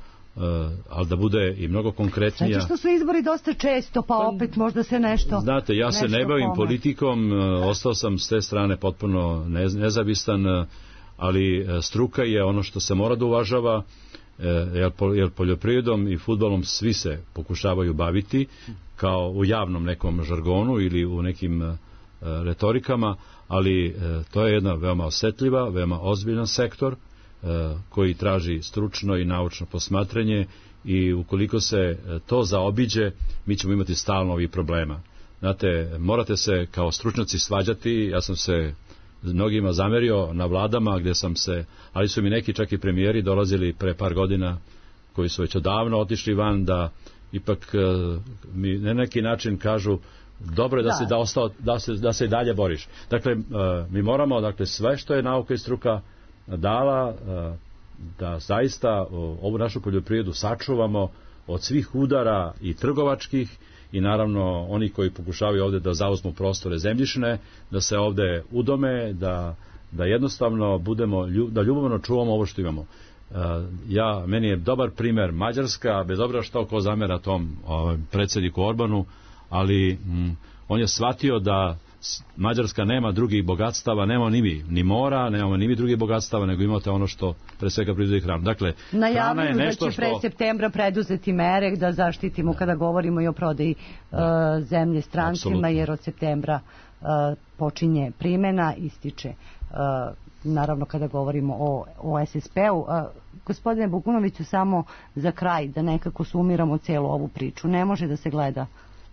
ali da bude i mnogo konkretnija. Znači što su izbori dosta često, pa opet možda se nešto... Znate, ja se ne bavim politikom, ostao sam s te strane potpuno nezavistan, ali struka je ono što se mora da uvažava, jer poljoprivredom i fudbalom svi se pokušavaju baviti, kao u javnom nekom žargonu ili u nekim retorikama, ali to je jedna veoma osetljiva, veoma ozbiljan sektor koji traži stručno i naučno posmatranje i ukoliko se to zaobiđe, mi ćemo imati stalno ovih problema. Znate, morate se kao stručnjaci svađati, ja sam se mnogima zamerio na vladama gdje sam se, ali su mi neki čak i premijeri dolazili pre par godina koji su već odavno otišli van, da ipak mi na neki način kažu dobro je da se i dalje boriš. Dakle, mi moramo, dakle, sve što je nauka i struka dala, da zaista ovu našu poljoprivredu sačuvamo od svih udara i trgovačkih i naravno oni koji pokušavaju ovdje da zauzmu prostore zemljišne, da se ovdje udome, da jednostavno budemo, da ljubavno čuvamo ovo što imamo. Meni je dobar primjer Mađarska, bez obzira što ko zamera tom predsjedniku Orbanu, ali on je shvatio da Mađarska nema drugih bogatstava, nema ni mora, nemamo ni mi drugih bogatstava, nego imate ono što pre svega proizvodi hranu. Dakle, najavljuju da će pre septembra preduzeti mere da zaštitimo kada govorimo i o prodaji zemlje strancima, absolutno. Jer od septembra počinje primjena, ističe naravno kada govorimo o SSP-u. Gospodine Bogunoviću, samo za kraj da nekako sumiramo celu ovu priču. Ne može da se gleda,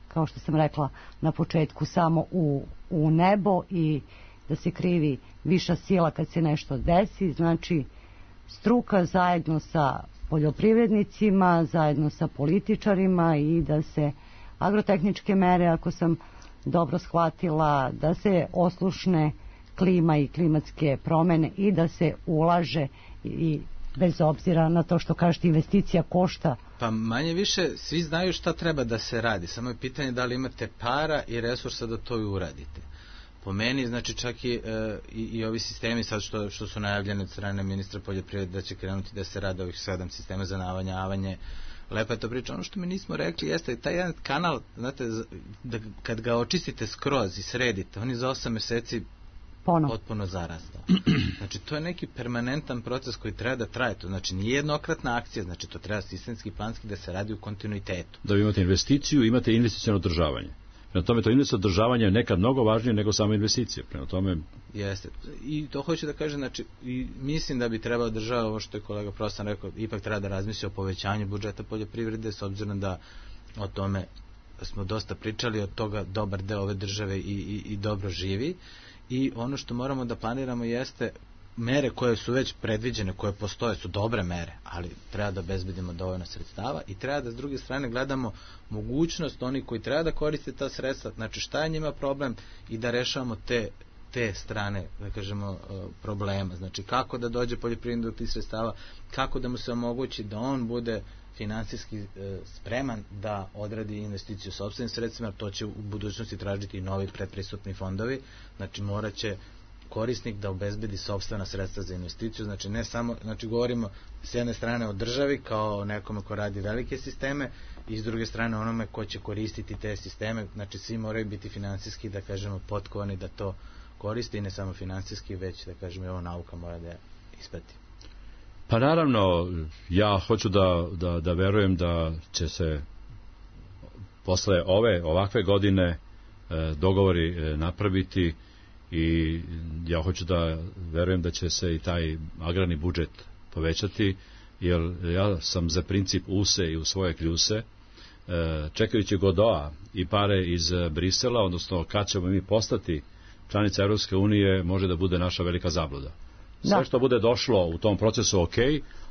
kao što sam rekla na početku, samo u nebo i da se krivi viša sila kad se nešto desi. Znači, struka zajedno sa poljoprivrednicima, zajedno sa političarima i da se agrotehničke mere, ako sam dobro shvatila, da se oslušne klima i klimatske promene i da se ulaže i bez obzira na to što kažete investicija košta. Pa manje više svi znaju šta treba da se radi, samo je pitanje da li imate para i resursa da to i uradite. Po meni, znači čak i ovi sistemi sad što su najavljeni od strane ministra poljoprivrede da će krenuti da se rade ovih 7 sistema za navodnjavanje, lepa je to priča. Ono što mi nismo rekli jeste taj jedan kanal, znate, da kad ga očistite skroz i sredite, on je za 8 mjeseci potpuno zarastao. Znači, to je neki permanentan proces koji treba da traje. To znači nije jednokratna akcija, znači to treba sistemski, planski da se radi u kontinuitetu. Da vi imate investiciju, imate investiciono održavanje. Prema tome, to investiciono održavanje je nekad mnogo važnije nego samo investicije. Prema tome... Jeste. I to hoću da kažem, znači, mislim da bi trebalo država, ovo što je kolega Prostan rekao, ipak treba da razmisli o povećanju budžeta poljoprivrede, s obzirom da o tome smo dosta pričali, od toga dobar deo ove države i dobro živi. I ono što moramo da planiramo jeste mere koje su već predviđene, koje postoje, su dobre mere, ali treba da obezbedimo dovoljno sredstava i treba da s druge strane gledamo mogućnost oni koji treba da koriste ta sredstva, znači šta je njima problem i da rešavamo te strane, da kažemo, problema. Znači kako da dođe poljoprivrednik do tih sredstava, kako da mu se omogući da on bude finansijski spreman da odradi investiciju sopstvenim sredstvima, to će u budućnosti tražiti i novi predpristupni fondovi, znači morat će korisnik da obezbedi sopstvena sredstva za investiciju, znači ne samo, znači govorimo s jedne strane o državi kao nekome ko radi velike sisteme i s druge strane onome ko će koristiti te sisteme, znači svi moraju biti finansijski, da kažemo, potkovani da to koriste i ne samo finansijski, već da kažemo i ovo nauka mora da isprati. Pa naravno, ja hoću da verujem da će se posle ovakve godine dogovori napraviti i ja hoću da verujem da će se i taj agrarni budžet povećati, jer ja sam za princip use i u svoje kljuse, čekajući Godoa i pare iz Brisela, odnosno kad ćemo mi postati članica Europske unije, može da bude naša velika zabluda. Sve što bude došlo u tom procesu ok,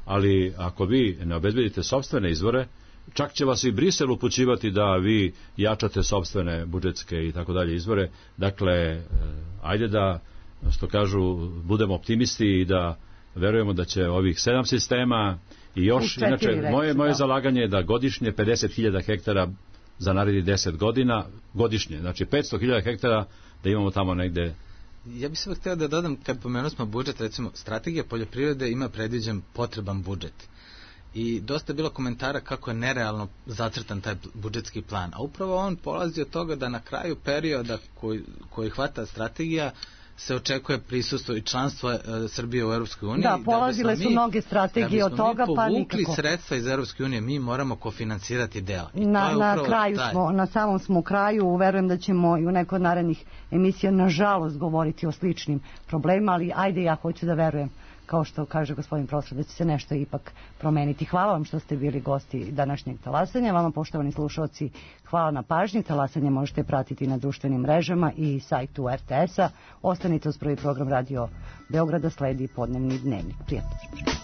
ali ako vi ne obezbedite sopstvene izvore, čak će vas i Brisel upućivati da vi jačate sopstvene budžetske i tako dalje izvore. Dakle, ajde da, što kažu, budemo optimisti i da verujemo da će ovih 7 sistema i još, inače, moje zalaganje je da godišnje 50.000 hektara za narednih 10 godina, godišnje, znači 500.000 hektara da imamo tamo negde. Ja bih samo htio da dodam, kad pomenuo smo budžet, recimo, strategija poljoprivrede ima predviđen potreban budžet. I dosta je bilo komentara kako je nerealno zacrtan taj budžetski plan. A upravo on polazi od toga da na kraju perioda koji hvata strategija se očekuje prisustvo i članstvo Srbije u Europskoj uniji. Da, polazile su mnoge strategije od toga, pa nikako. Da bismo mi povukli sredstva iz Europske unije, mi moramo kofinansirati dela. Na samom smo kraju, verujem da ćemo i u nekoj od narednih emisija nažalost govoriti o sličnim problemima, ali ajde, ja hoću da verujem kao što kaže gospodin profesor, da će se nešto ipak promeniti. Hvala vam što ste bili gosti današnjeg talasanja. Vama, poštovani slušalci, hvala na pažnji. Talasanje možete pratiti na društvenim mrežama i sajtu RTS-a. Ostanite uz prvi program Radio Beograda, sledi podnevni dnevnik. Prijatno.